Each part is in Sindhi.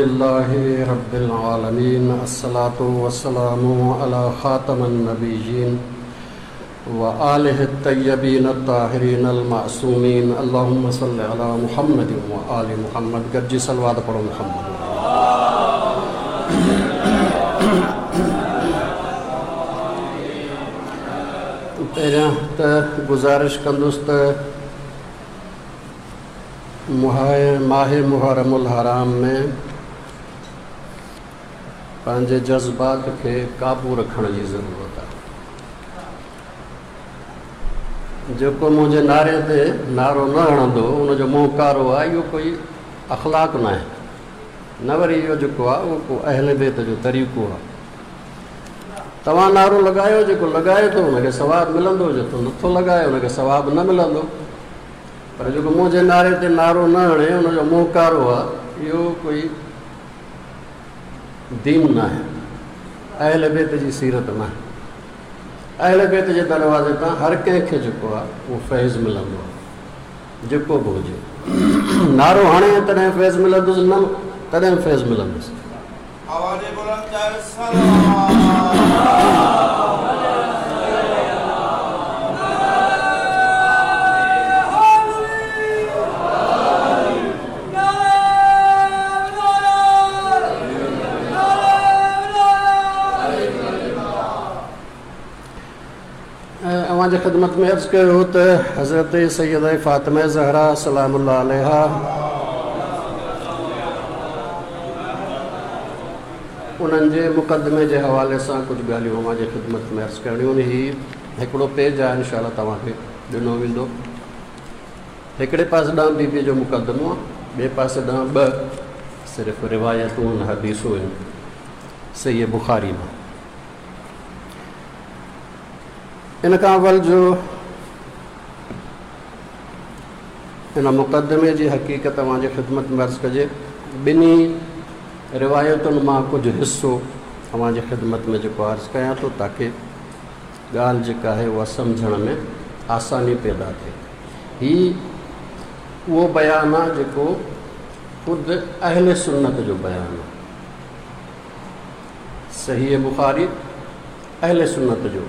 لله رب العالمين الصلاة والسلام على خاتم النبيين وآله الطيبين الطاهرين المعصومين اللهم صل على محمد وآل محمد گڏجي صلوات پڙهو محمد. پهريان ته گذارش ڪندس ته ماهه محرم الحرام ۾ پنهنجي جذبات کي قابو رکڻ جي ضرورت آهي. جيڪو منهنجي نعري تي نعرو نه هڻندو ان جو منهن ڪارو آهي، اهو ڪوئي اخلاق ناهي، نه وري اهو جيڪو آهي اهو ڪو اهل بيت جو طريقو آهي. توهان نعرو لڳايو، جيڪو لڳائي ٿو ان کي ثواب ملندو، جيڪو نٿو لڳائي ان کي ثواب نه ملندو. پر جيڪو منهنجي نعري تي نعرو نه هڻي ان جو منهن ڪارو آهي، اهو ڪوئي دين ناهي، اهل بيت جي سيرت ناهي. اهل بيت جي دروازي تان هر ڪنهن کي جيڪو آهي اهو فيض ملندو آهي، جيڪو به هجي. نعرو هڻي تڏهن فيض ملندس، نه تڏهن فيض ملندس. آواز بلند ڪر صلوات. اوهان جي خدمت ۾ عرض ڪيو هو ته حضرت سيده فاطمه زهرا سلام الله عليها انهن جي مقدمي جي حوالي سان ڪجهه ڳالهيون اوهان جي خدمت ۾ عرض ڪرڻيون آهن. هي هڪڙو پيج آهي، انشاء الله توهان کي ڏنو ويندو. هڪڙي پاسي ڏانهن بي بي جو مقدمو آهي، ٻئي پاسي ڏانهن ٻه صرف روايتون آهن، حديثون آهن صحيح بخاري مان. ان کان اول جو ان مقدمي جي حقيقت اوهان جي خدمت ۾ عرض ڪجي، ٻنهي روايتن مان ڪجهه حصو اوهان جي خدمت ۾ جيڪو عرض ڪيان ٿو تاڪه ڳالهه جيڪا آهي اها سمجهڻ ۾ آساني پيدا ٿئي. هي اهو بيان آهي جيڪو خود اهل سنت جو بيان آهي. صحيح بخاري اهل سنت جو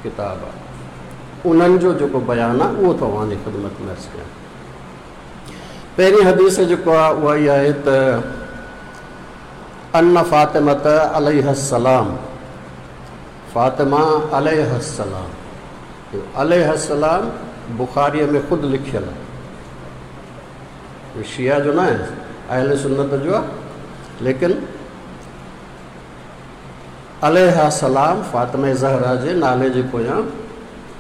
ڪتاب آهي، انهن جو جيڪو بيان آهي اهو ٿو اوهان جي خدمت ۾ عرض ڪيان. پهرين حديث جيڪو آهي اها اها آهي ته ان فاطمة عليه السلام، فاطمه عليه السلام، عليه السلام بخاريء ۾ خود لکيل آهي، شيعه جو نه آهي، اهل سنت جو آهي، ليڪن عليها السلام فاطمه زهرا جي نالي جي پويان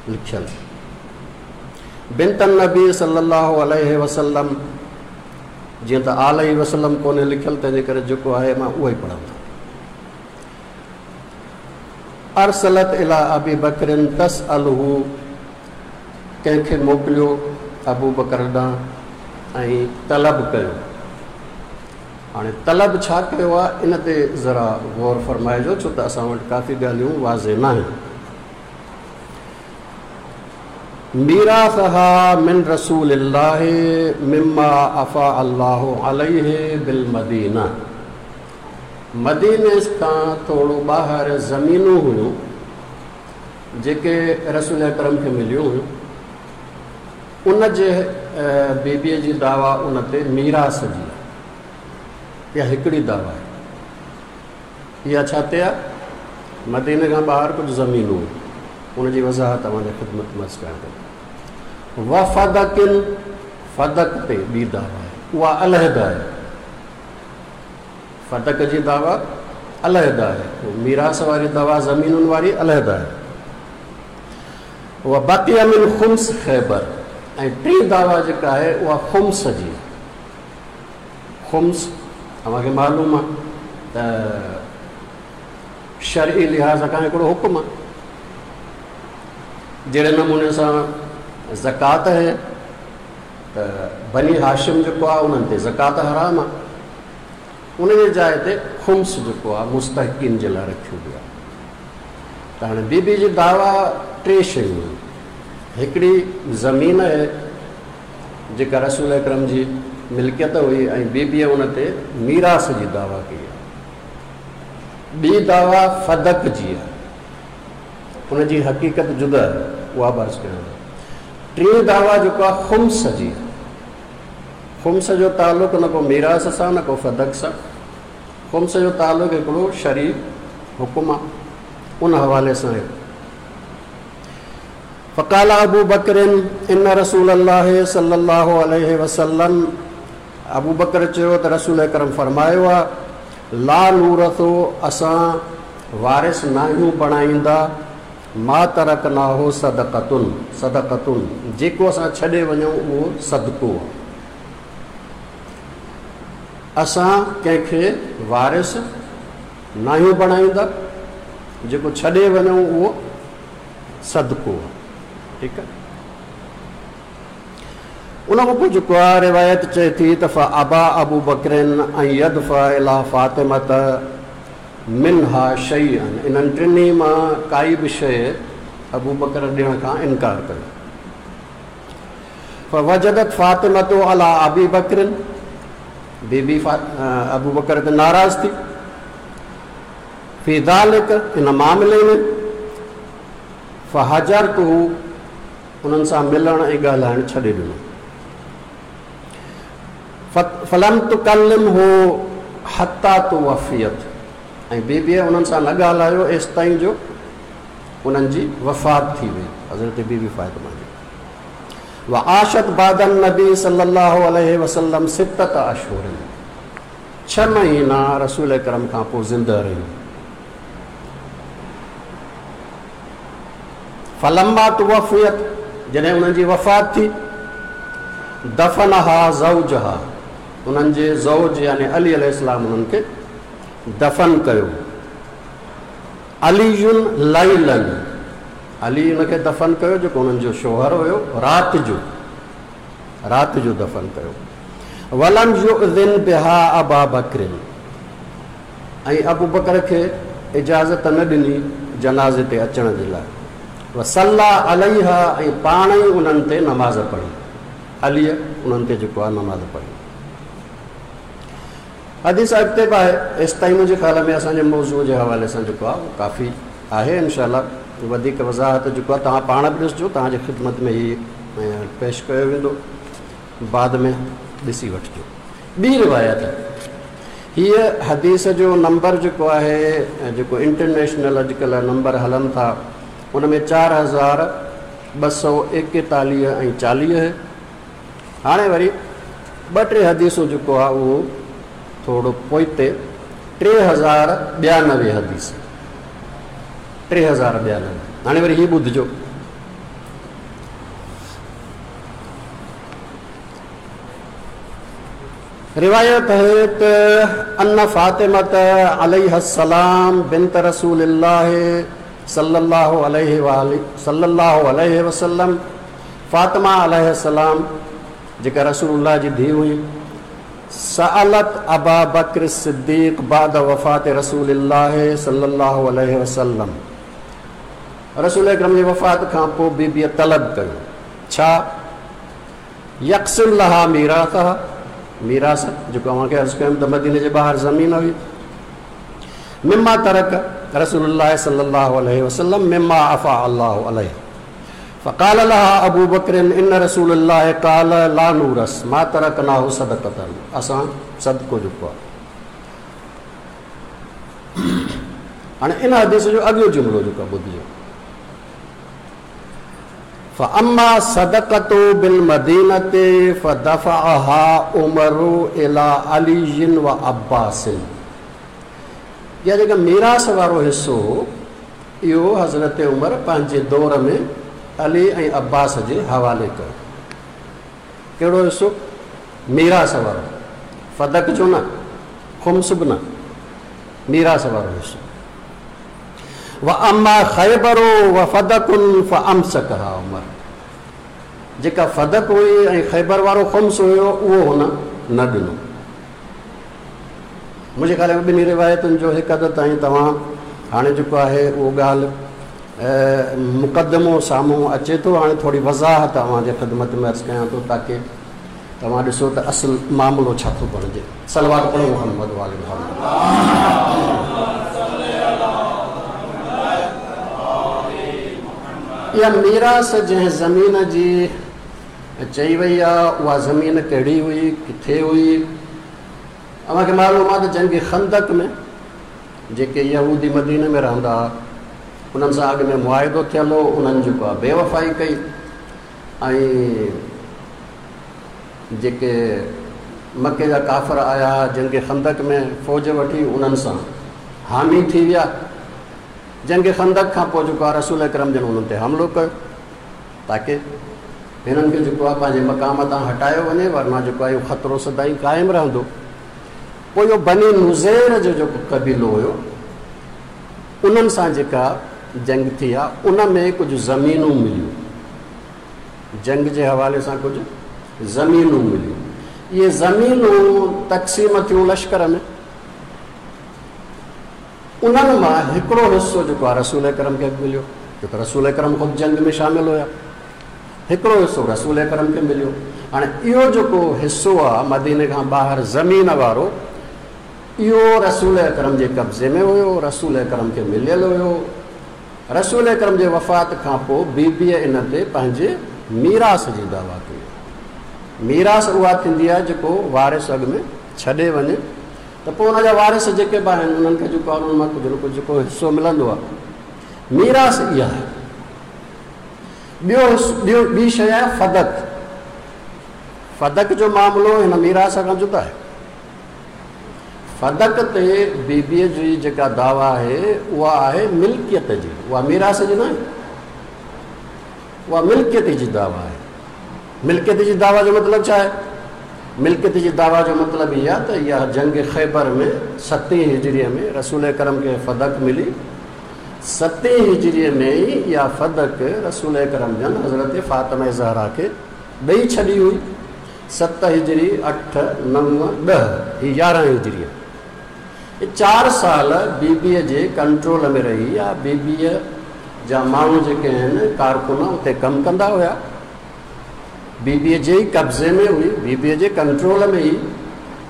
لکيل. بنت النبي صلي الله عليه وسلم، جيئن ته آله وسلم ڪونهي لکيل تنهن جي ڪري جيڪو آهي مان اهو ئي پڙهندس. ارسلت الي ابي بڪر تسأله، ڪنهن کي موڪليو ابو بڪر ڏانهن ۽ طلب ڪيو. هاڻي طلب ڇا ڪيو آهي ان تي ذرا غور فرمائجو، ڇو ته اسان وٽ ڪافي ڳالهيون واضح ناهن. ميراثها من رسول الله مما افاء الله عليه بالمدينه، مديني کان ٿورو ٻاهر زمينون هيون جيڪي رسول اڪرم کي مليون هيون، ان جي بيبيء جي دعويٰ ان تي ميراث جي آهي. اها هڪڙي دعويٰ آهي. اها ڇا تي آهي؟ مديني کان ٻاهر ڪجهه زمينون هيون، ان جي وضاحت اوهان جي خدمت ۾ عرض ڪيان ٿو. وفدڪن، فدڪ تي ٻي دعويٰ آهي، اها علحده آهي. فدڪ جي دعويٰ علحده آهي، ميراث واري دعويٰ زمينن واري علحده آهي. وبقي من خمس خيبر، ۽ ٽين دعويٰ جيڪا آهي اها خمس جي آهي. خمس اوهان کي معلوم آهي ته شرعي لحاظ کان هڪڙو حڪم آهي. جهڙي نموني سان زڪوات آهي ته بني هاشم جيڪو آهي انهن تي زڪوات حرام آهي، ان جي جاء تي خمس جيڪو آهي مستحقين جي لاء رکيو ويو آهي. ته هاڻي بي بي جي دعويٰ ٽي شيون آهن. هڪڙي زمين آهي جيڪا رسول اڪرم جي ملڪيت هئي ۽ بيبيء ان تي ميراث جي دعويٰ ڪئي آهي. ٻي دعويٰ فدڪ جي آهي. ان جي حقيقت جدا آهي، اها به عرض ڪيان ٿو. ٽين دعويٰ جيڪو آهي خمس جي آهي. خمس جو تعلق نه ڪو ميراث سان نه ڪو فدڪ سان. خمس جو تعلق هڪڙو شرعي حڪم آهي، ان حوالي سان آهي. فقال ابو بڪر ان رسول الله صلي الله عليه وسلم ابو بڪر چيو ته رسول اڪرم فرمايو آهي لا نورث اسان وارث ناهيون بڻائيندا ما ترڪناه صدقة صدقة جيڪو اسان ڇڏي وڃون اهو صدقو آهي اسان ڪنهن کي وارث ناهيون بڻائيندا جيڪو ڇڏي وڃون اهو صدقو آهي ٺيڪ آهي ان کان پوء جيڪو آهي روايت چئي ٿي ته فابا ابو بڪر ان يدفع الي فاطمه منها شيئا انهن ٽنهي مان ڪائي به شيء ابو بڪر ڏيڻ کان انڪار ڪيو. فوجدت فاطمه علي ابي بڪر بي بي ابو بڪر تي ناراض ٿي في ذلڪ ان معاملي ۾ فهجرته انهن سان ملڻ ۽ ڳالهائڻ ڇڏي ڏنو. فلم تڪلمه حتي توفيت ۽ بيبيء انهن سان نه ڳالهايو ايستائين جو انهن جي وفات ٿي وئي، حضرت بيبي فاطمه جي. وعاشت بعد النبي صلي الله عليه وسلم سته اشهر ڇهه مهينا رسول اڪرم کان پوء زنده رهيون. فلما توفيت جڏهن انهن جي وفات ٿي، دفنها زوجها انهن جي زوج يعني علي عليه السلام انهن کي دفن ڪيو. علي ليلا علي ان کي دفن ڪيو جيڪو انهن جو شوهر هيو رات جو رات جو دفن ڪيو. ولم يؤذن بها ابا بڪر ۽ ابوبڪر کي اجازت نه ڏني جنازي تي اچڻ جي لاء. وصلي عليها ۽ پاڻ ئي انهن تي نماز پڙهي. عليء انهن تي جيڪو آهي نماز پڙهي. حديث اڳتي به آهي، ايستائين منهنجي خيال ۾ اسان جي موضوع جي حوالي سان جيڪو آهي اهو ڪافي آهي. انشاء الله وڌيڪ وضاحت جيڪو آهي توهان پاڻ به ڏسجو، توهان جي خدمت ۾ هي پيش ڪيو ويندو، بعد ۾ ڏسي وٺجو. ٻي روايت، هيء حديث جو نمبر جيڪو آهي، جيڪو انٽرنيشنل اڄڪلهه نمبر هلن ٿا، ان ۾ 4241 ۽ 40 آهي. هاڻي وري ٻه ٽي حديثون جيڪو آهي اهو ٿورو پوئتي 3092 حديث، 3092. هاڻي وري هي ٻڌجو. روايت آهي ته ان فاطمة عليها السلام بنت رسول الله صلي الله عليه واله صلي الله عليه وسلم فاطمه عليه السلام جيڪا رسول الله جي ڌيء هئي سألت ابا بڪر الصديق بعد وفات رسول الله صلي الله عليه وسلم رسول اڪرم جي وفات کان پوء بيبيء طلب ڪيو ڇا يقسم لها ميراثها، ميراث، جيڪو اوهان کي عرض ڪيم ته مديني جي ٻاهر زمين هئي، مما ترڪ رسول الله صلي الله عليه وسلم مما عفا الله عليه فقال لها ابو بڪر ان رسول الله قال لا نورث ما ترڪناه صدقه اسان صدقو جيڪو آهي هاڻي ان حديث جو اڳيون جملو جيڪو ٻڌجو فاما صدقة بالمدينة فدفعها عمر الي علي وعباس اها جيڪا ميراث وارو حصو هو اهو حضرت عمر پنهنجي دور ۾ علي ۽ عباس جي حوالي ڪيو. ڪهڙو حصو؟ ميراث وارو، فدق جو نه، خمس به نه، ميراث وارو حصو. واما خيبر وفدق فامسڪها عمر جيڪا فدق هئي ۽ خيبر وارو خمس هيو اهو هن نه ڏنو. منهنجي خيال ۾ ٻنهي روايتن جو هڪ حد تائين توهان هاڻي جيڪو آهي اهو ڳالهه مقدمو سامهون اچي ٿو. هاڻي ٿوري وضاحت اوهان جي خدمت ۾ عرض ڪيان ٿو تاڪه توهان ڏسو ته اصل معاملو ڇا ٿو بڻجي. صلوات پڙهو محمد وآل محمد. اها ميراث جنهن زمين جي چئي وئي آ اها زمين ڪهڙي هئي، ڪٿي هئي؟ اوهان کي معلوم آ ته جنگ خندق ۾ جيڪي يهودي مديني ۾ رهندا ها انهن سان اڳ ۾ معاهدو ٿيل هو، انهن جيڪو آ بي وفائي ڪئي ۽ جيڪي مڪي جا ڪافر آيا ها جنگ خندق ۾ فوج وٺي انهن سان حامي ٿي ويا. جنگ خندق کان پوء جيڪو آهي رسول اڪرم جن انهن تي حملو ڪيو تاڪه هنن کي جيڪو آهي پنهنجي مقام تان هٽايو وڃي ورنه جيڪو آهي اهو خطرو سدائين قائم رهندو. پوء اهو بني نضير جو جيڪو قبيلو هيو انهن سان جيڪا جنگ ٿي آهي ان ۾ ڪجهه زمينون مليون. جنگ جي حوالي سان ڪجهه زمينون مليون. اهي زمينون تقسيم ٿيون لشڪر ۾. انهن مان هڪڙو حصو جيڪو آهي رسول اڪرم کي به مليو، ڇو ته رسول اڪرم خود جنگ ۾ شامل هيا. هڪڙو حصو رسول اڪرم کي مليو. هاڻي اهو جيڪو حصو آهي مديني کان ٻاهر زمين وارو، اهو رسول اڪرم جي قبضي ۾ هيو، رسول اڪرم کي مليل هيو. رسول اڪرم جي وفات کان پوء بيبيء ان تي پنهنجي ميراث جي دعويٰ ڪئي. ميراث اها ٿيندي آهي جيڪو وارث اڳ ۾ ڇڏي وڃي ته پوء ان جا وارث جيڪي به آهن انهن کي جيڪو آهي انهن مان ڪجهه نه ڪجهه جيڪو حصو ملندو آهي. ميراث اها آهي. ٻيو ٻيو ٻي شيء آهي فدق. فدق جو معاملو هن ميراث کان جدا آهي. فدق تي بيبيء جي جيڪا دعويٰ آهي اها آهي ملڪيت جي، اها ميراث جي ناهي. اها ملڪيت جي دعويٰ آهي. ملڪيت جي دعويٰ جو مطلب ڇا آهي؟ ملڪيت جي دعويٰ جو مطلب هي آهي ته اها جنگ خيبر ۾ ستين هجريء ۾ رسول اڪرم کي فدق ملي. ستين هجريء ۾ ئي اها فدق رسول اڪرم جن حضرت فاطمه زهرا کي ڏئي ڇڏي هئي. ست هجري، اٺ، نو، ڏهه، هي 11 هجريء. هي چار سال بيبيء جي ڪنٽرول ۾ رهي يا بيبيء جا ماڻهو جيڪي آهن، ڪارڪن، اتي ڪم ڪندا هيا. بيبيء جي ئي قبضي ۾ هئي، بيبيء جي ڪنٽرول ۾ هئي.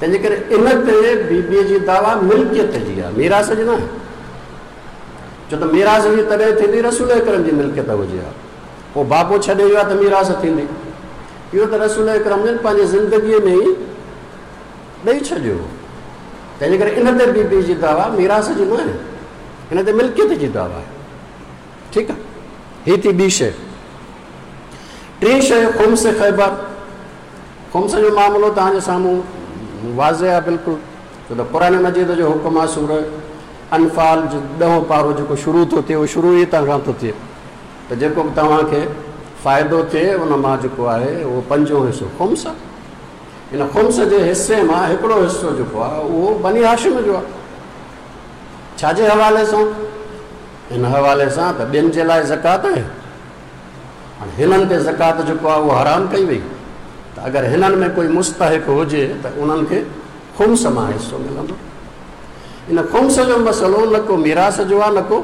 تنهن جي ڪري ان تي بيبيء جي دعويٰ ملڪيت جي آهي، ميراث جي ناهي. ڇو ته ميراث جي تڏهن ٿيندي رسول اڪرم جي ملڪيت هجي ها. پوء بابو ڇڏي ويو آهي ته ميراث ٿيندي. اهو ته رسول اڪرم جن پنهنجي زندگيء ۾ ئي ڏئي ڇڏيو هو. تنهنجي ڪري ان تي بي بي جي دعويٰ ميراث جي ناهي، ان تي ملڪيت جي دعويٰ آهي. ٺيڪ آهي، هي ٿي ٻي شيء. ٽين شيء خمس خيبر. خمس جو معاملو توهان جي سامهون واضح آهي بلڪل، ڇو ته قرآن مجيد جو حڪم آهي سورة انفال جو ڏهون پارو جيڪو شروع ٿو ٿئي اهو شروع ئي هتان کان ٿو ٿئي. ته جيڪو به توهان کي فائدو ٿئي ان مان جيڪو آهي اهو پنجون حصو خمس آهي. ان خمس جي حصي مان هڪڙو حصو جيڪو آهي اهو بني هاشم جو آهي. ڇا جي حوالي سان؟ ان حوالي سان ته ٻين جي لاء زڪوات آهي. هاڻي هنن تي زڪوات جيڪو آهي اهو حرام ڪئي وئي ته اگر هنن ۾ ڪوئي مستحق هجي ته انهن کي خمس مان حصو ملندو. ان خمس جو مسئلو نه ڪو ميراث جو آهي نه ڪو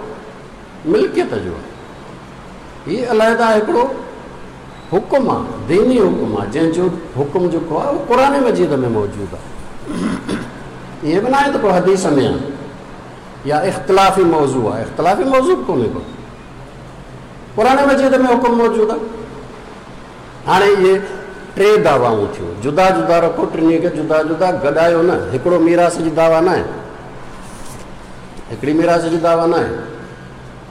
ملڪيت جو آهي. هي علحده هڪڙو حڪم آهي، ديني حڪم آهي، جنهن جو حڪم جيڪو آهي اهو قرآن مجيد ۾ موجود آهي. ائين به ناهي ته ڪو حديث ۾ آهي يا اختلافي موضوع آهي، اختلافي موضوع به ڪونهي ڪو، قرآن مجيد ۾ حڪم موجود آهي. هاڻي اهي ٽي دعوائون ٿيون، جدا جدا رکو، ٽنهي کي جدا جدا گڏايو نه. هڪڙو ميراث جي دعويٰ ناهي، هڪڙي ميراث جي دعويٰ ناهي.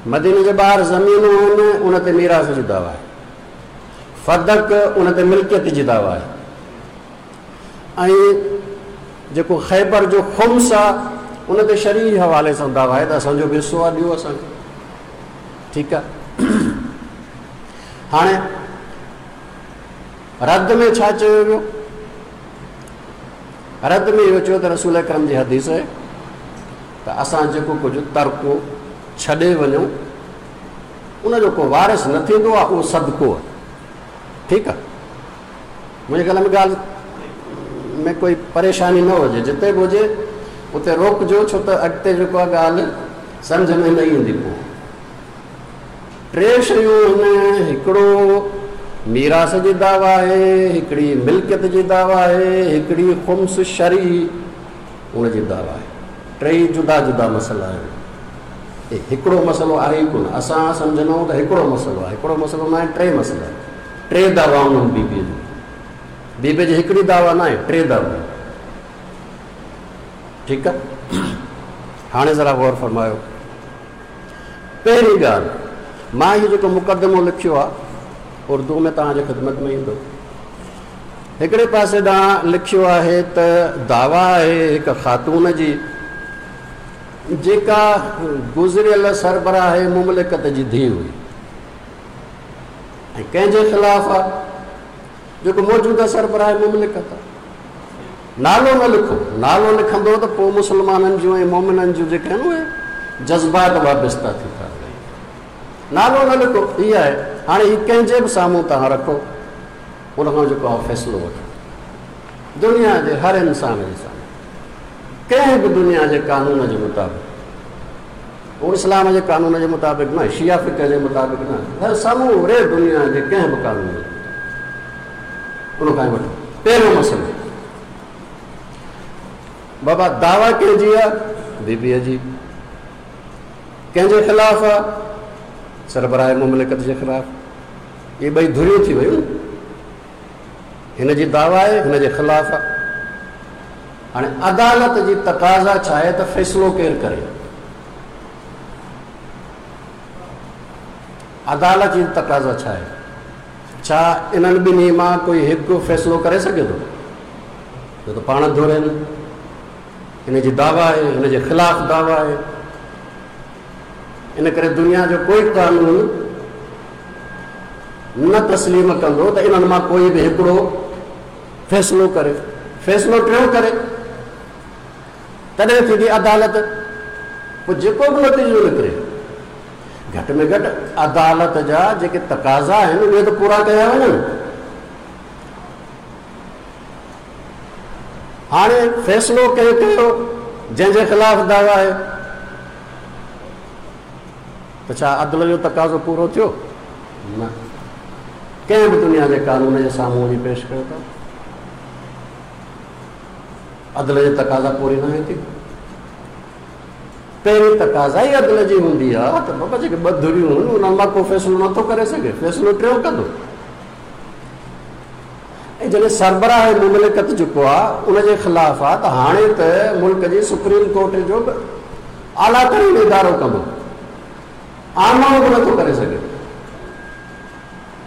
مديني جي ٻاهر زمينون آهن، ان تي ميراث جي دعويٰ آهي. فدق ان تي ملڪيت جي دعويٰ آهي. ۽ جيڪو خيبر جو خمس آهي ان تي شرعي حوالي سان دعويٰ آهي ته اسان جو به حصو آهي، ڏيو اسان کي. ٺيڪ آهي. هاڻي رد ۾ ڇا چيو ويو؟ رد ۾ اهو چيو ته رسول اڪرم جي حديث آهي ته اسان جيڪو ڪجهه ترڪو ڇڏي وڃون ان جو ڪو وارث نه ٿيندو آهي، اهو صدقو آهي. ٺيڪ آهي، منهنجي خيال ۾ ڳالهه ۾ ڪوئي پريشاني نه هجي، جتي به هجي اتي روڪجو، ڇو ته اڳتي جيڪو آهي ڳالهه سمجهه ۾ نه ايندي. پوء ٽي شيون آهن، هڪڙو ميراث جي دعويٰ آهي، هڪڙي ملڪيت جي دعويٰ آهي، هڪڙي خمس شرعي ان جي دعويٰ آهي. ٽيئي جدا جدا مسئلا آهن. هي هڪڙو مسئلو آهي ئي ڪونه. اسان سمجهندا آهيون ته هڪڙو مسئلو آهي. هڪڙو مسئلو ناهي، ٽي مسئلا آهن. ٽي دعوائون آهن بي بيء جون. بي بيء جي هڪڙي دعويٰ ناهي، ٽي دعوائون. ٺيڪ آهي. هاڻي ذرا غور فرمايو. پهرين ڳالهه، مان هي جيڪو مقدمو لکيو آهي، اردوء ۾ توهان جي خدمت ۾ ايندو. هڪڙي پاسي ڏانهن لکيو آهي ته دعويٰ آهي هڪ خاتون جي، جيڪا گذريل سربراهه مملڪت جي ڌيء هئي ۽ ڪنهن جي خلاف آهي؟ جيڪو موجوده سربراهه مملڪت آهي. نالو نه لکو، نالو لکندو ته پوء مسلمانن جون ۽ مومنن جون جيڪي آهن اهي جذبات وابسته ٿي ٿا وڃن. نالو نه لکو، هي آهي. هاڻي هي ڪنهن جي به سامهون توهان رکو، ان کان جيڪو آهي فيصلو وٺو. دنيا جي هر انسان جي سامهون ڪنهن به دنيا جي قانون جي مطابق، هو اسلام جي قانون جي مطابق نه، شيعه فقه جي مطابق نه، هر سموري دنيا جي ڪنهن به قانون جي مطابق ان کان وٺو. پهريون مسئلو بابا دعويٰ ڪنهن جي آهي؟ بي بيء جي. ڪنهن جي خلاف آهي؟ سربراهه مملڪت جي خلاف. اهي ٻئي ڌريون ٿي ويون. هن جي دعويٰ آهي، هن جي خلاف آهي. هاڻي عدالت جي تقاضا ڇا آهي ته فيصلو ڪير ڪري؟ عدالت جي تقاضا ڇا آهي؟ ڇا انهن ٻنهي مان ڪوئي هڪ فيصلو ڪري سگهي ٿو؟ ڇو ته پاڻ ڌرين، هن جي دعويٰ آهي، هن جي خلاف دعويٰ آهي. ان ڪري دنيا جو ڪوئي قانون نه تسليم ڪندو ته انهن مان ڪوئي به هڪڙو فيصلو ڪري. فيصلو ٽيون ڪري تڏهن ٿيندي عدالت. پوء جيڪو به نتيجو نڪري، گهٽ ۾ گهٽ عدالت جا جيڪي تقاضا آهن اهي ته پورا ڪيا وڃن. هاڻي فيصلو ڪنهن ڪيو جنهن جي خلاف دعويٰ آهي؟ ته ڇا عدل جو تقاضو پورو ٿيو؟ نه. ڪنهن به دنيا جي قانون جي سامهون وڃي پيش ڪيو ته عدل جي تقاضا پوري ناهي ٿي. پهرين تقاضا ئي عدل جي هوندي آهي ته بابا جيڪي ٻه ڌريون آهن انهن مان ڪو فيصلو نٿو ڪري سگهي، فيصلو ٽيون ڪندو. ۽ جڏهن سربراهه مملڪت جيڪو آهي ان جي خلاف آهي ته هاڻي ته ملڪ جي سپريم ڪورٽ جو به اعليٰ ترين ادارو ڪندو، عام ماڻهو به نٿو ڪري سگهي.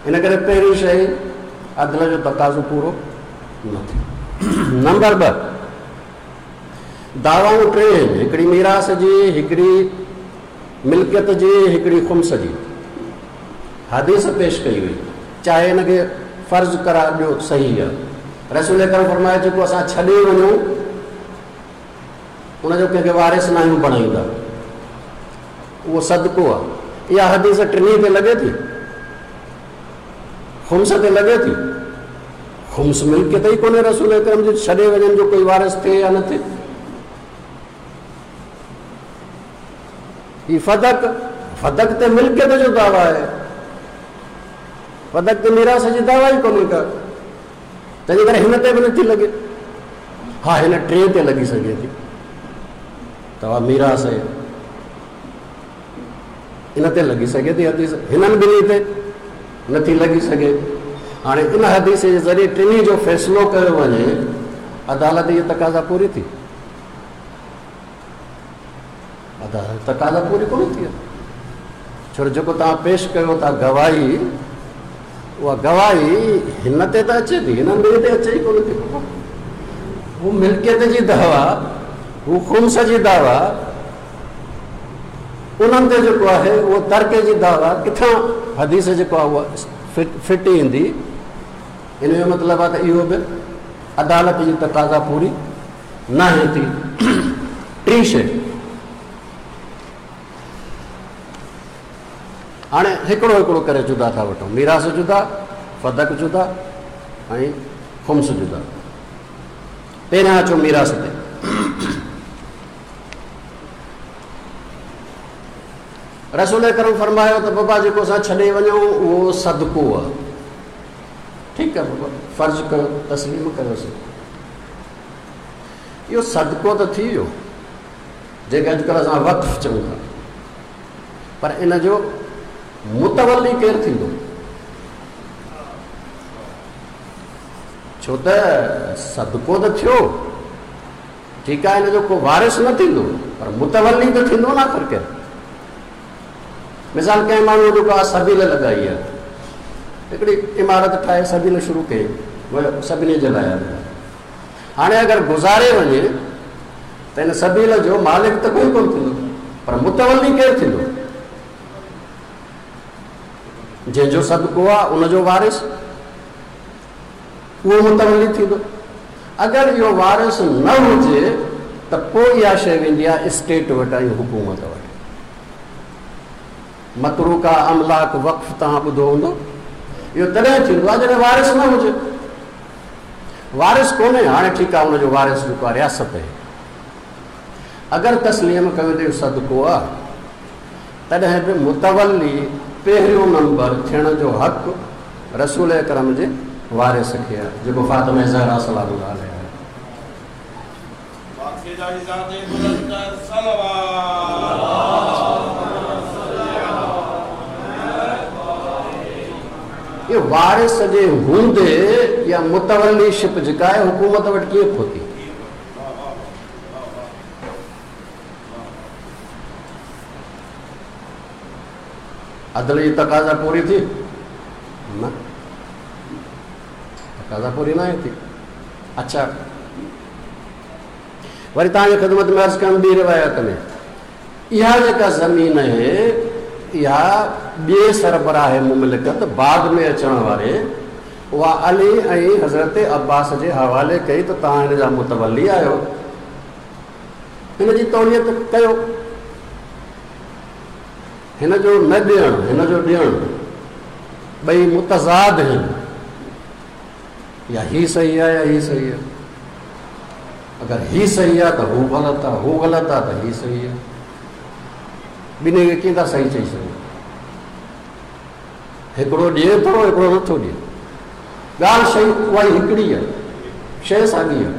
ان ڪري پهرين شيء عدل جو تقاضو پورو نه ٿيو. نمبر 2، دعوائون ٽي آهن، هڪڙي ميراث جي، هڪڙي ملڪيت جي، هڪڙي خمس جي. حديث پيش ڪئي وئي، چاهي ان کي فرض قرار ڏيو صحيح آهي. رسول اڪرم فرمايو جيڪو اسان ڇڏي وڃون ان جو ڪنهن کي وارث ناهيون بڻائيندا، اهو صدقو آهي. اها حديث ٽنهي تي لڳي ٿي، خمس تي لڳي ٿي. خمس ملڪيت ئي ڪونهي رسول اڪرم جي ڇڏي وڃن جو ڪوئي وارث ٿئي يا نه ٿئي. هي فدڪ، فدڪ تي ملڪيت جو دعويٰ آهي، فدڪ تي ميراث جي دعويٰ ئي ڪونهي ڪا، تنهنجي ڪري هن تي به نٿي لڳي. ها هن ٽئين تي لڳي سگهي ٿي، دعويٰ ميراث آهي، ان تي لڳي سگهي ٿي حديث، هنن ٻنهي تي نٿي لڳي سگهي. هاڻي ان حديث جي ذريعي ٽنهي جو فيصلو ڪيو وڃي، عدالت جي تقاضا پوري ٿي؟ عدالت تقاضا پوري ڪونه ٿي آهي، ڇو جو جيڪو توهان پيش ڪيو ٿا گواهي، اها گواهي هن تي ته اچي ٿي، هنن ٻنهي تي اچي ئي ڪونه ٿي. هو ملڪيت جي دعويٰ، هو خمس جي دعويٰ، انهن تي جيڪو آهي اهو ترڪي جي دعويٰ ڪٿان حديث جيڪو آهي اها فٽ ايندي. ان جو مطلب آهي ته اهو به عدالت جي تقاضا پوري ناهي ٿي. ٽين شيء، هاڻي هڪڙو هڪڙو ڪري جدا ٿا وٺون، ميراث جدا، فدڪ جدا ۽ خمس جدا. پهريان اچو ميراث تي. رسول اڪرم فرمايو ته بابا جيڪو اسان ڇڏي وڃون اهو صدقو آهي. ٺيڪ آهي بابا، فرض ڪيو، تسليم ڪيوسين. اهو صدقو ته ٿي ويو، جنهن کي اڄڪلهه اسان وقف چئون ٿا، پر ان جو متولي ڪير ٿيندو؟ ڇو ته صدقو ته ٿيو، ٺيڪ آهي، ان جو ڪو وارث نه ٿيندو، پر متولي ته ٿيندو نه آخر ڪير. مثال ڪنهن ماڻهوء جو ڪا سبيل لڳائي آهي، هڪڙي عمارت ٺاهي سبيل شروع ڪئي، سڀني جي لاء آهي. هاڻي اگر گذاري وڃي ته ان سبيل جو مالڪ ته ڪوئي ڪونه ٿيندو، پر متولي ڪير ٿيندو؟ جنهن جو صدقو آهي ان جو وارث اهو متولي ٿيندو. اگر اهو وارث نه هجي ته پوء اها شيء ويندي آهي اسٽيٽ وٽ ۽ حڪومت وٽ. متروڪه املاڪ وقف توهان ٻڌو هوندو. اهو تڏهن ٿيندو آهي جڏهن وارث نه هجي. وارث ڪونهي، هاڻي ٺيڪ آهي ان جو وارث جيڪو آهي رياست آهي. اگر تسليم ڪيو ته اهو صدقو آهي تڏهن به متولي پهريون نمبر ٿيڻ جو حق رسول اڪرم جي وارث کي آهي جيڪو فاطمه زهرا سلام الله عليها آهي. اهو وارث جي هوندي يا متولي شپ جيڪا آهي حڪومت وٽ ڪيئن پهتي؟ عدل جي تقاضا پوري ٿي؟ نه، تقاضا پوري ناهي ٿي. اڇا، وري توهان جي خدمت ۾ عرض ڪيم ٻي روايت ۾ اها جيڪا زمين آهي اها ٻئي سربراهه مملڪت بعد ۾ اچڻ واري اها علي ۽ حضرت عباس جي حوالي ڪئي ته توهان هن جا متولي آهيو، هن جي توليت ڪيو. هن جو نه ڏيڻ، هن جو ڏيڻ ٻئي متضاد آهن. يا هي صحيح آهي يا هي صحيح آهي. اگر هي صحيح آهي ته هو غلط آهي، هو غلط آهي ته هي صحيح آهي. ٻنهي کي ڪيئن ٿا صحيح چئي سگهون؟ هڪڙو ڏئي ٿو، هڪڙو نٿو ڏئي. ڳالهه شيء اها ئي هڪڙي آهي، شيء ساڳي آهي.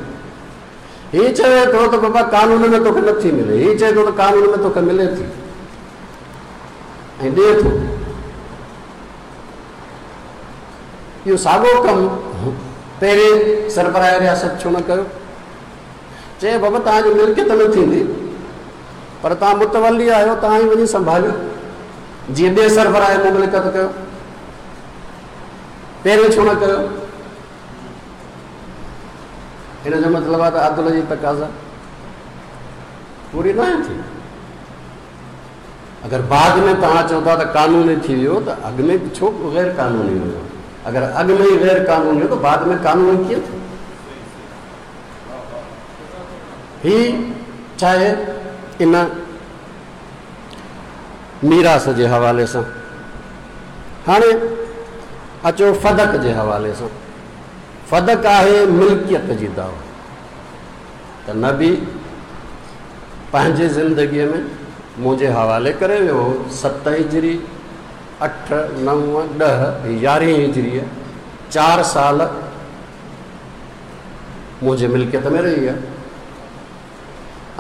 هي چوي ٿو ته بابا قانون ۾ توکي نٿي ملي، هي چئي ٿو ته قانون ۾ توکي ملي ٿي ۽ ڏئي ٿو. اهو ساڳو ڪم پهرين سربراهه رياست ڇو نه ڪيو؟ چئي بابا توهان جي ملڪيت نه ٿيندي پر توهان متولي آهيو، توهان ئي وڃي سنڀاليو، جيئن ٻئي سربراهه مملڪت ڪيو. پهرين ڇو نه ڪيو؟ ان جو مطلب آهي ته عدل جي تقاضا پوري ناهي ٿي. اگر بعد ۾ توهان چئو ٿا ته قانوني ٿي ويو ته اڳ ۾ ڇو غير قانوني هيو؟ اگر اڳ ۾ ئي غير قانوني هيو ته بعد ۾ قانوني ڪيئن ٿيو؟ هي چاهي ان ميراث جي حوالي سان. هاڻي اچو فدڪ جي حوالي سان. فدڪ آهي ملڪيت جي دعويٰ ته نبي پنهنجي زندگيء ۾ منهنجي حوالي ڪري ويو هو، ست هجري، اٺ، نو، ڏهه، يارهين هجريء، چار سال منهنجي ملڪيت ۾ رهي آهي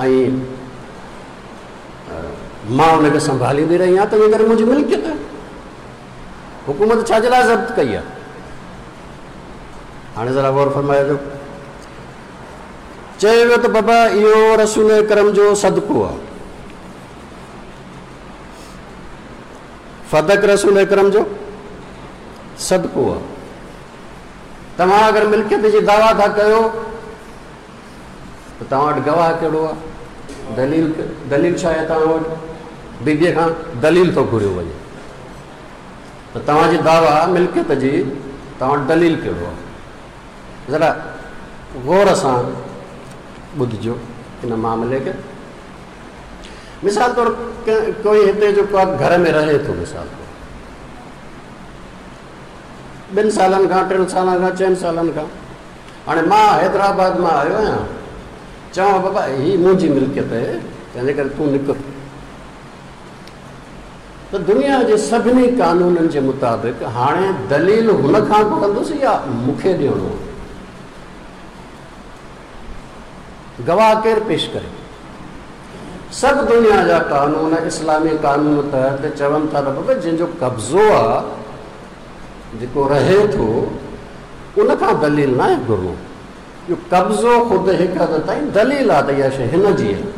۽ مان ان کي سنڀاليندي رهي آهيان، تنهنجي ڪري منهنجي ملڪيت آهي. حڪومت ڇا جي لاء ضبط ڪئي آهي؟ هاڻي ذرا غور فرمائجو. چيو ويو ته بابا اهو رسول اڪرم جو صدقو آهي، فدڪ رسول اڪرم جو صدقو آهي. توهان اگر ملڪيت جي دعويٰ ٿا ڪيو ته توهان وٽ گواهه ڪهڙو آهي؟ دليل، دليل ڇا آهي توهان وٽ؟ بيبيء کان دليل ٿو گهريو وڃي ته توهان جي دعويٰ ملڪيت جي، توهان وٽ دليل ڪهڙو آهي؟ ذرا غور سان ٻڌجو ان معاملي کي. مثال طور ڪوئي هتي جيڪو آهي گهر ۾ رهي ٿو، مثال طور ٻن سالن کان، ٽن سالن کان، چئن سالن کان، هاڻي مان حيدرآباد مان آيو آهيان، چوان بابا هي منهنجي ملڪيت آهي، تنهنجي ڪري تون نڪر. ته دنيا جي سڀني قانونن جي مطابق هاڻي دليل هن کان گهرندس يا مون کي ڏيڻو آهي؟ گواهه ڪير پيش ڪري؟ سڀ دنيا جا قانون اسلامي قانون تحت چون ٿا ته بابا جنهن جو قبضو آ، جيڪو رهي ٿو، ان کان دليل ناهي گهرڻو. اهو قبضو خود هڪ حد تائين دليل آ ته اها شيء هن جي آهي.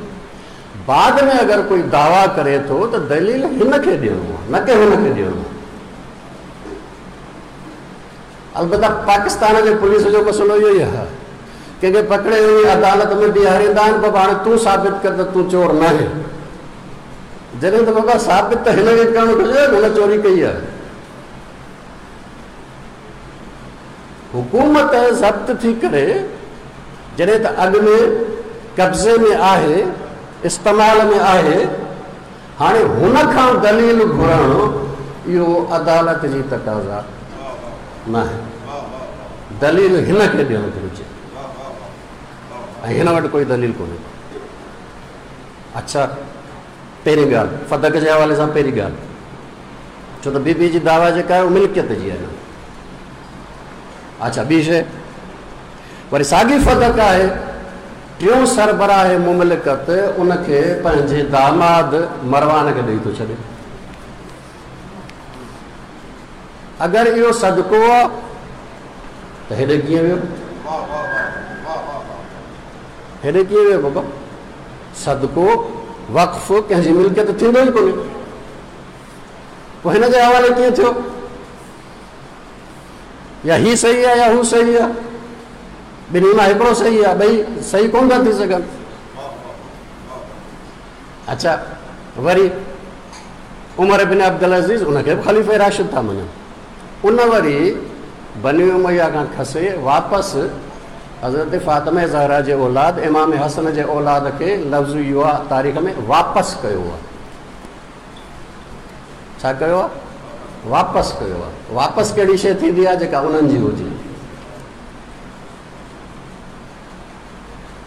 بعد ۾ اگر ڪوئي دعويٰ ڪري ٿو ته دليل هن کي ڏيڻو آهي نه ڪي هن کي ڏيڻو آهي. البته پاڪستان جي پوليس جو مسئلو اهو ئي آهي. ڪنهن کي پڪڙي وڃي عدالت ۾ بيهاريندا آهن، بابا هاڻي تون ثابت ڪر ته تون چور ناهين. جڏهن ته بابا ثابت ته هن کي ڪرڻ گهرجي نه هن چوري ڪئي آهي. حڪومت ضبط ٿي ڪري جڏهن ته اڳ ۾ قبضي ۾ آهي، استعمال ۾ آهي، هاڻي هن کان دليل گهرڻ اهو عدالت جي تقاضا ناهي. دليل هن کي ڏيڻ گهرجي ۽ هن وٽ ڪوئي دليل ڪونهي. اڇا پهرين ڳالهه فدڪ جي حوالي سان پهرين ڳالهه ڇو ته بي بي جي دعويٰ جيڪا آهي اها ملڪيت جي آهي نه. اڇا ٻي شيء وري ساڳي فدڪ آهي، ٽيون سربراهه مملڪت ان کي پنهنجي داماد مروان کي ڏئي ٿو ڇڏي. اگر اهو صدقو آ ته هيڏي ڪيئن ويو؟ هيڏي ڪيئن ويو بابا؟ صدقو وقف ڪنهن جي ملڪيت ٿيندو ئي ڪونهي، پوء هن جي حوالي ڪيئن ٿيو؟ يا هي صحيح آهي يا هو صحيح آهي، ٻنهي مان هڪڙو صحيح آهي، ٻئي صحيح ڪونه ٿا ٿي سگهن. اڇا وري عمر بن عبدالعزيز ان کي به خليفه راشد ٿا مڃن، ان وري بني اميه کان کسي واپس حضرت فاطمه زهرا جي اولاد امام حسن جي اولاد کي لفظ اهو آهي تاريخ ۾ واپس ڪيو آهي. ڇا ڪيو آهي؟ واپس ڪيو آهي. واپس ڪهڙي شيء ٿيندي آهي جيڪا انهن جي هجي.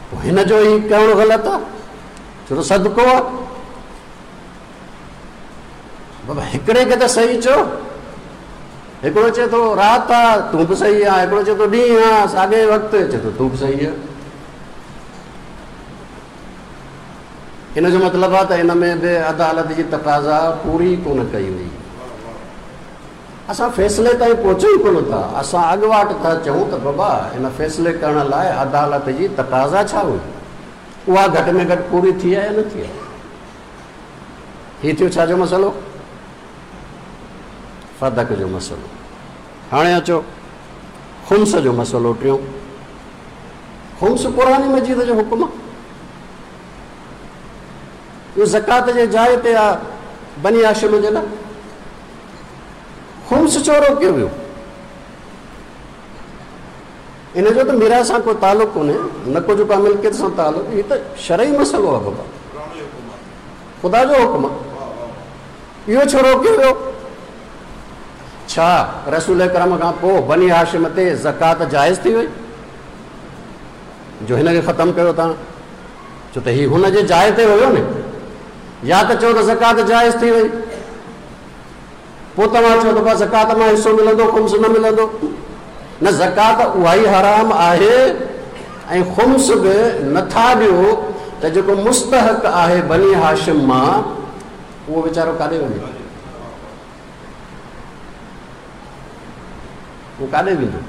پوء هن جو هي ڪرڻ غلط آهي، ڇو ته صدقو آهي. بابا هڪڙي کي ته صحيح چئو، هڪڙو چئي ٿو رات آ تون به صحيح آ، هڪڙو چئي ٿو ڏينهن آ ساڳئي وقت چئي ٿو تون به صحيح آ. ان جو مطلب آ ته ان ۾ به عدالت جي تقاضا پوري ڪونه ڪئي وئي. اسان فيصلي تائين پهچون ئي ڪونه ٿا، اسان اڳواٽ ٿا چئون ته بابا ان فيصلي ڪرڻ لاء عدالت جي تقاضا ڇا هئي، اها گهٽ ۾ گهٽ پوري ٿي آهي يا نه ٿي آهي. هي ٿيو ڇا جو مسئلو؟ فدڪ جو مسئلو. هاڻي اچو خمس جو مسئلو ٽيون. خمس قرآن مجيد جو حڪم آهي، اهو زڪوات جي جاء تي آهي بني هاشم جي لاء. خمس ڇو روڪيو ويو؟ ان جو ته ميراث سان ڪو تعلق ڪونهي، نه ڪو جيڪو ملڪيت سان تعلق، هي ته شرعي مسئلو آهي بابا، خدا جو حڪم آهي، اهو ڇو روڪيو ويو؟ ڇا رسول اڪرم کان پوء بني هاشم تي زڪوات جائز ٿي وئي جو هن کي ختم ڪيو تان؟ ڇو ته هي هن جي جاء تي هيو نه. يا ته چئو ته زڪوات جائز ٿي وئي، پوء توهان چئو ته بس زڪوات مان حصو ملندو خمس نه ملندو. نه، زڪوات اها ئي حرام آهي ۽ خمس به نٿا ڏيو ته جيڪو مستحق آهي بني هاشم مان اهو ويچارو ڪاڏي وڃي؟ اهو ڪاڏي ويندو؟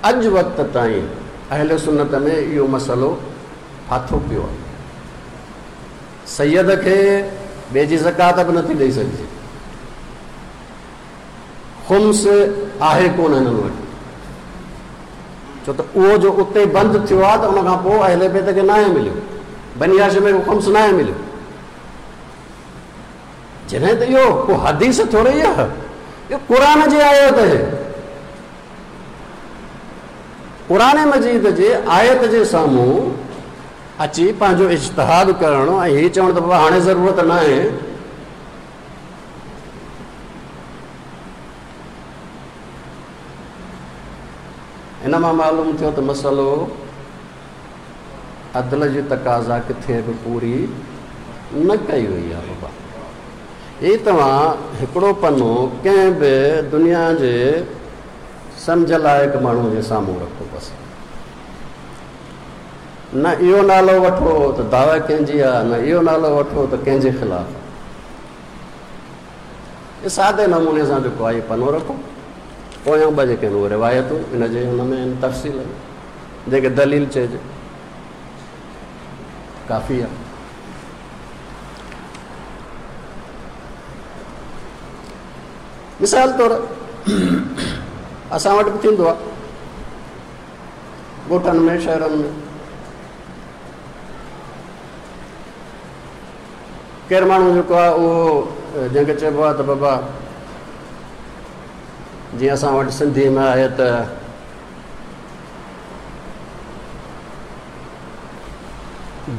اڄ وقت تائين اهل سنت ۾ اهو مسئلو ڦاٿو پيو آهي. سيد کي ٻئي جي زڪوات به نٿي ڏئي سگهجي. خمس آهي ڪونه هنن وٽ، ڇو ته اهو جو اتي بند ٿيو آهي ته ان کان پوء اهل بيت کي ناهي مليو، بني هاشم کي خمس ناهي مليو. جڏهن ته اهو ڪو حديث ٿوري ئي آهي، اهو قرآن جي آيت آهي. قرآن مجيد جي آيت جي سامهون اچي پنهنجو اجتهاد ڪرڻ ۽ هي چوڻ ته بابا هاڻي ضرورت ناهي، ان مان معلوم ٿيو ته مسئلو عدل جي تقاضا ڪٿي به پوري نه ڪئي وئي آهي بابا. هي توهان هڪڙو پنو ڪنهن به دنيا جي سمجهه لائق ماڻهوء جي سامهون رکو بس. نه اهو نالو وٺو ته دعويٰ ڪنهن جي آ، نه اهو نالو وٺو ته ڪنهن جي خلاف آ. هي سادي نموني سان جيڪو آهي پنو رکو. پويان ٻه جيڪي آهن اهي روايتون ان جي هن ۾ آهن تفصيل ۾، جنهن کي دليل چئجي ڪافي آ. مثال طور اسان وٽ به ٿيندو آهي ڳوٺن ۾ شهرن ۾ ڪير ماڻهو جيڪو آهي اهو جنهن کي چئبو آهي ته بابا جيئن اسان وٽ سنڌي ۾ آهي ته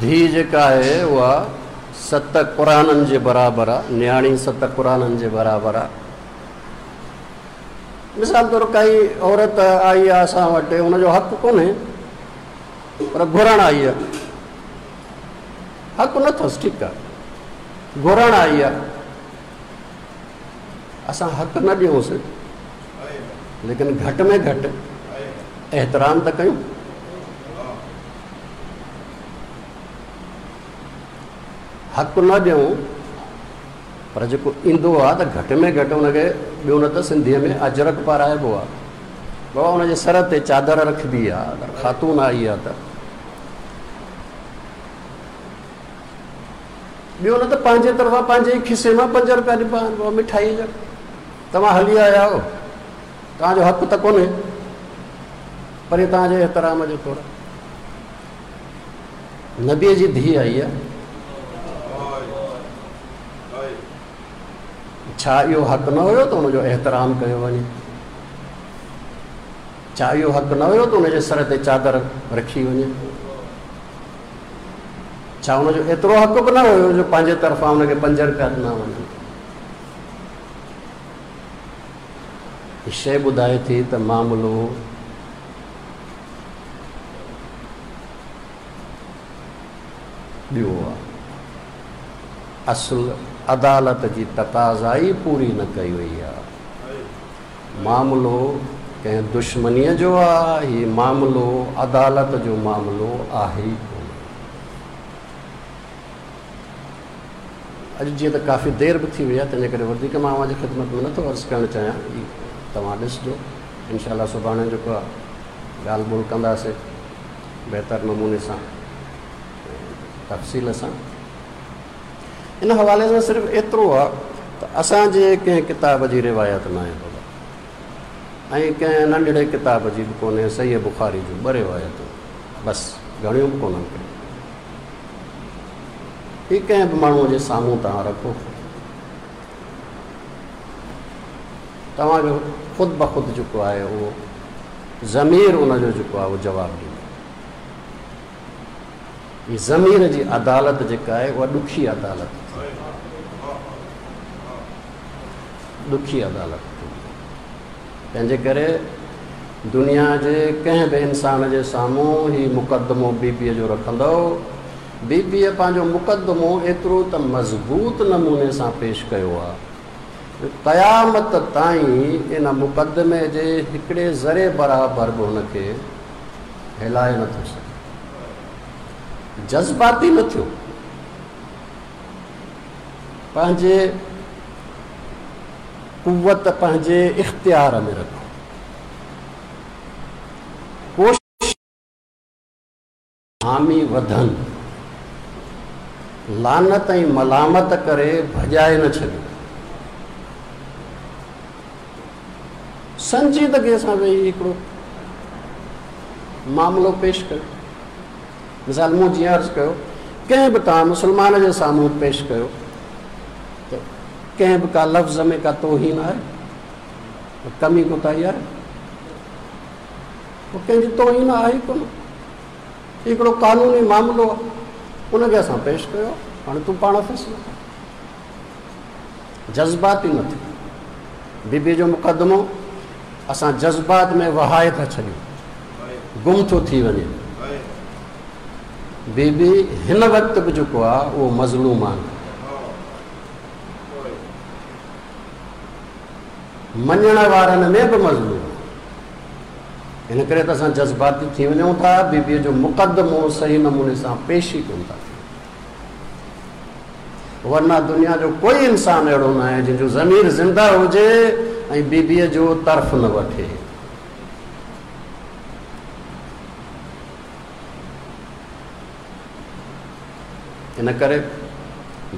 ڌيء جيڪا آهي اها ست قرآنن جي برابر آ، نياڻي ست قرآنن جي برابر آ. مثال طور ڪائي عورت آئي آ اسان وٽ، ان جو حق ڪونهي پر گهرڻ آئي آ، حق نه اٿس، ٺيڪ آ، گهرڻ آئي آ، اسان حق نه ڏيونس ليڪن گهٽ ۾ گهٽ احترام ته ڪيون. حق نه ڏيون پر جيڪو ايندو آ ته گهٽ ۾ گهٽ ان کي ٻيو نه ته سنڌيء ۾ اجرڪ پارائبو آ. بابا ان جي سر تي چادر رکبي آ، اگر خاتون آئي آ ته ٻيو نه ته پنهنجي طرفان پنهنجي ئي کيسي مان پنج روپيا ڏبا آهن بابا مٺائيء جا. توهان هلي آيا آهيو، توهان جو حق ته ڪونهي پر هي توهان جي احترام جو طور آهي. نبيء جي ڌيء آئي آهي، ڇا اهو حق نه هيو ته ان جو احترام ڪيو وڃي؟ ڇا اهو حق نه هيو ته ان جي سر تي چادر رکي وڃي؟ ڇا ان جو ايترو حق به نه هيو جو پنهنجي طرفان ان کي پنج روپيا ڏنا وڃن؟ هي شيء ٻڌائي ٿي ته معاملو ٻيو آهي. اصل عدالت جي تقاضا ئي پوري نه ڪئي وئي آهي. معاملو ڪنهن دشمنيء جو آ، هي معاملو عدالت جو معاملو آهي ئي ڪونه. اڄ جيئن ته ڪافي دير به ٿي وئي آهي، تنهنجي ڪري وڌيڪ مان اوهان جي خدمت ۾ نٿو عرض ڪرڻ چاهيان. هي توهان ڏسجو. انشاء الله سڀاڻي جيڪو آ ڳالهه ٻولهه ڪنداسين بهتر نموني سان ۽ تفصيل سان. ان حوالي سان صرف ايترو آ ته اسان جي ڪنهن ڪتاب جي روايت ناهي بابا ۽ ڪنهن ننڍڙي ڪتاب جي به ڪونهي، صحيح بخاري جون ٻه روايتون بس، گهڻيون به ڪونهن ڪي. هي ڪنهن به ماڻهوء جي سامهون توهان رکو، توهان جو خود بخود جيڪو آهي اهو ضمير ان جو جيڪو آهي اهو جواب ڏيندو. هي ضمير جي عدالت جيڪا آهي اها ڏکي عدالت ٿيندي، ڏکي عدالت ٿيندي. تنهنجي ڪري دنيا جي ڪنهن به انسان جي سامهون هي مقدمو بي بيء جو رکندؤ، بي بيء پنهنجو مقدمو ايترو ته مضبوط نموني سان پيش ڪيو آهي جو قيامت تائين ان مقدمي جي هڪڙي ذري برابر به هن کي هلائي نٿو سگهي. جذباتي نه ٿيو، پنهنجي قوت پنهنجي اختيار ۾ رکو. ڪوشش حامي وڌن، لعنت ۽ ملامت ڪري ڀڄائي نه ڇڏيو. سنجيدگيء سان ويهي هڪڙو معاملو پيش ڪيو. مثال مون جيئن عرض ڪيو، ڪنهن به توهان مسلمان جي سامهون پيش ڪيو ته ڪنهن به ڪا لفظ ۾ ڪا توهين آهي، ڪمي ڪوتاهي آهي، پوء ڪنهن جي توهين آهي ئي ڪونه. هي هڪڙو قانوني معاملو آهي، ان کي اسان پيش ڪيو، هاڻي تون پاڻ فيصلو ڪر. جذباتي نه ٿيو. بي بي جو مقدمو اسان جذبات ۾ وهائي ٿا ڇڏيون، گم ٿو ٿي وڃي. بي بي هن وقت به جيڪو آهي اهو مظلوم آهي. مڃڻ وارن ۾ به مظلوم آهي. ان ڪري ته اسان جذباتي ٿي وڃون ٿا، بيبيء جو مقدمو صحيح نموني سان پيش ئي ڪونه ٿا ڪيون. ورنه دنيا جو ڪوئي انسان اهڙو ناهي جنهن جو ضمير زنده هجي ۽ بيبيء جو طرف نه وٺي. ان ڪري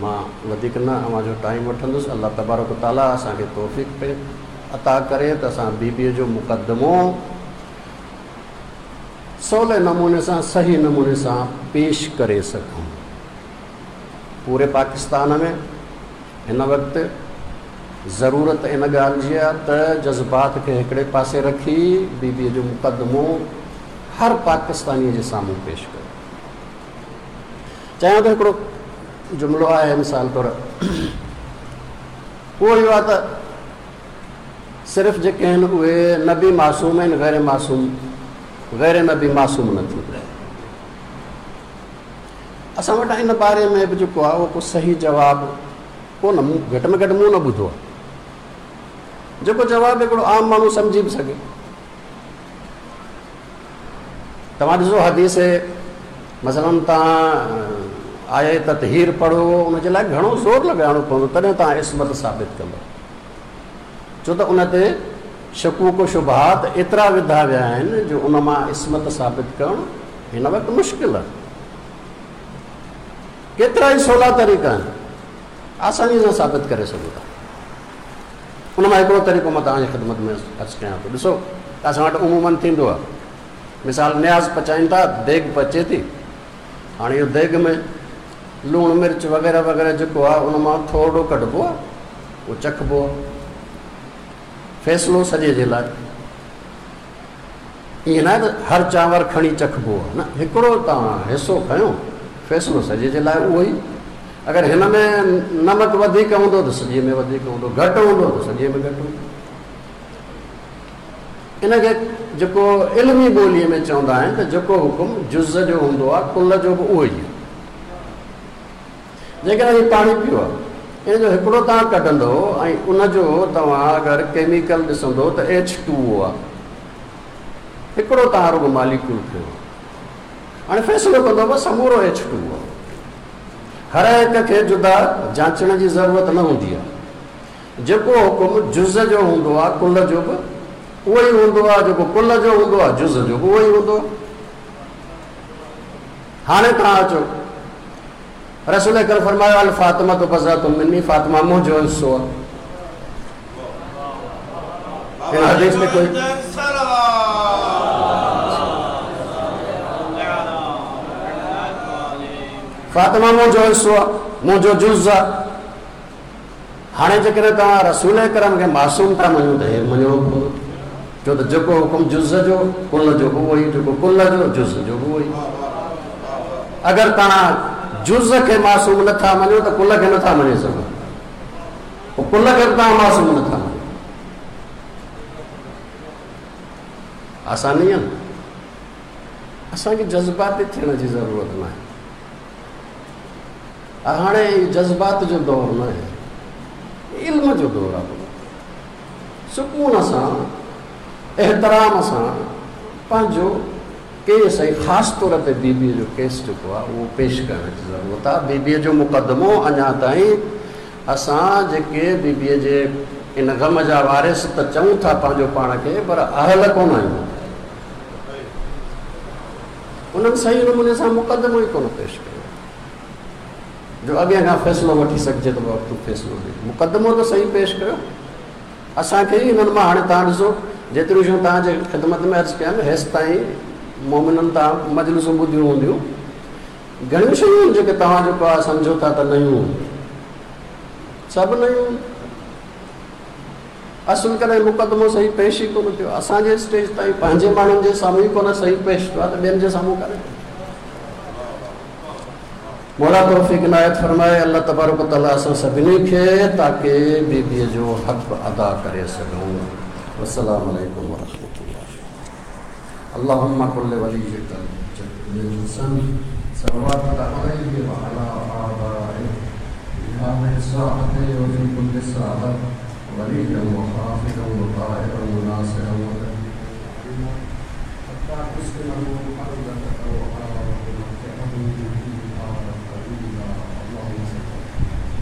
مان وڌيڪ نه اوهان جو ٽائيم وٺندس. الله تبارڪ و تعاليٰ اسان کي توفيق عطا ڪري ته اسان بي بيء جو مقدمو سولي نموني سان صحيح نموني سان پيش ڪري سگهون. پوري پاڪستان ۾ هن وقت ضرورت ان ڳالهه جي آهي ته جذبات کي هڪڙي پاسي رکي بي بيء جو مقدمو هر پاڪستانيء جي سامهون پيش ڪيو. چاهيان ٿو هڪڙو جملو آهي مثال طور اهو اهو آهي ته صرف جيڪي آهن اهي نبي معصوم آهن غير معصوم غير نبي معصوم نه ٿيندو. اسان وٽ ان باري ۾ به جيڪو آهي اهو ڪو صحيح جواب ڪونه، مون گهٽ ۾ گهٽ مون نه ٻڌو آهي جيڪو جواب هڪڙو عام ماڻهو سمجهي به سگهي. توهان ڏسو حديث مثلا توهان آية تطهير پڙهو ان جي لاء گهڻو زور لڳائڻو پوندو تڏهن توهان عصمت ثابت ڪندو، ڇو ته ان تي شڪوڪ و شبهات ايترا وڌا ويا آهن جو ان مان عصمت ثابت ڪرڻ هن وقت مشڪل آهي. ڪيترا ئي سولا طريقا آهن آساني سان ثابت ڪري سگهو ٿا. ان مان هڪڙو طريقو مان توهان جي خدمت ۾ عرض ڪيان ٿو. ڏسو اسان وٽ عموماً ٿيندو آهي، مثال نياز پچائين ٿا، ديڳ پچي ٿي، هاڻي اهو ديڳ ۾ لوڻ مرچ وغيره وغيره جيڪو آهي ان مان ٿورڙو ڪڍبو آهي، اهو چکبو آهي، فيصلو سڄي جي لاء. ائين ناهي ته هر چانور کڻي چکبو آهي، نه، هڪڙو توهان حصو کنيو، فيصلو سڄي جي لاء اهو ئي. اگر هن ۾ نمڪ وڌيڪ هوندو ته سڄي ۾ وڌيڪ هوندو، گهٽ هوندو ته سڄي ۾ گهٽ هوندو. ان کي جيڪو علمي ٻوليء ۾ چوندا آهن ته جيڪو حڪم جز جو هوندو آهي ڪل جو به اهو ئي آهي. جيڪڏهن هي پاڻي پيو آهي ان جو هڪڙو توهان ڪڍندو ۽ ان جو توهان اگر ڪيميڪل ڏسندو ته ايڇ ٽو او آهي، هڪڙو توهان رڳو ماليڪيول کنيو آهي، هاڻي فيصلو ڪندو بس سمورو ايڇ ٽو او آهي. هر هڪ کي جدا جانچڻ جي ضرورت نه هوندي آهي. جيڪو حڪم جز جو هوندو آهي ڪل جو به اهو ئي هوندو آهي، جيڪو ڪل جو هوندو آهي جز جو به اهو ئي هوندو آهي. هاڻي توهان اچو، رسول اڪرم فرمايو الفاطمة بضعة مني، فاطمه منهنجو حصو آهي. هن حديث ۾ ڪوئي فاطمه منهنجو حصو آهي، منهنجو جز آهي. هاڻي جيڪڏهن توهان رسول اڪرم کي معصوم ٿا مڃو ته هي مڃڻو پوندو، ڇو ته جيڪو حڪم جز جو ڪل جو به اهو ئي، جيڪو ڪل جو جز جو به اهو ئي. اگر توهان جز کي معصوم نٿا مڃو ته ڪل کي نٿا مڃي سگهو، پوء ڪل کي به توهان معصوم نٿا مڃو. آسان ئي آهي نه، اسان کي جذباتي ٿيڻ جي ضرورت ناهي. هاڻي اهو جذبات جو دور نه آهي، علم جو دور آهي. سڪون سان، احترام سان پنهنجو ڪيس ۽ خاص طور تي بي بيء جو ڪيس جيڪو آهي اهو پيش ڪرڻ جي ضرورت آهي. بي بيء جو مقدمو اڃا تائين اسان جيڪي بي بيء جي ان غم جا وارث ته چئون ٿا پنهنجو پاڻ کي، پر اهل ڪونه آهيون. انهن صحيح نموني سان مقدمو ئي ڪونه پيش ڪيو جو اڳئين کان فيصلو وٺي سگهجي ته بابا تون فيصلو ڏي. مقدمو ته صحيح پيش ڪيو اسان کي ئي انهن مان. هاڻي توهان ڏسو جيتريون شيون توهان جي خدمت ۾ عرض ڪيم هيستائين مومنن توهان مجلسون ٻڌيون هونديون، گهڻيون شيون آهن جيڪي توهان جيڪو آهي سمجهو ٿا ته نيون، سڀ نيون. اصل ڪڏهن مقدمو صحيح پيش ئي ڪونه ٿيو. اسان جي اسٽيج تائين پنهنجي ماڻهن جي سامهون ئي ڪونه صحيح پيش ٿيو آهي ته ٻين جي سامهون ڪڏهن. مولا توفيق عنايت فرمائي. الله تبارڪ وتعالي اسان سڀني کي تاڪه بي بي جو حق ادا ڪري سگهون. والسلام عليڪم ورحمة الله. اللهم كل وليك الحسن صلواتك عليه وعلى آبائه في هذه الساعة وفي كل ساعة. وليا وحافظا وطاهرا وناصرا وتدبيرا حتى تسكنه أرضك طوعا وتمتعه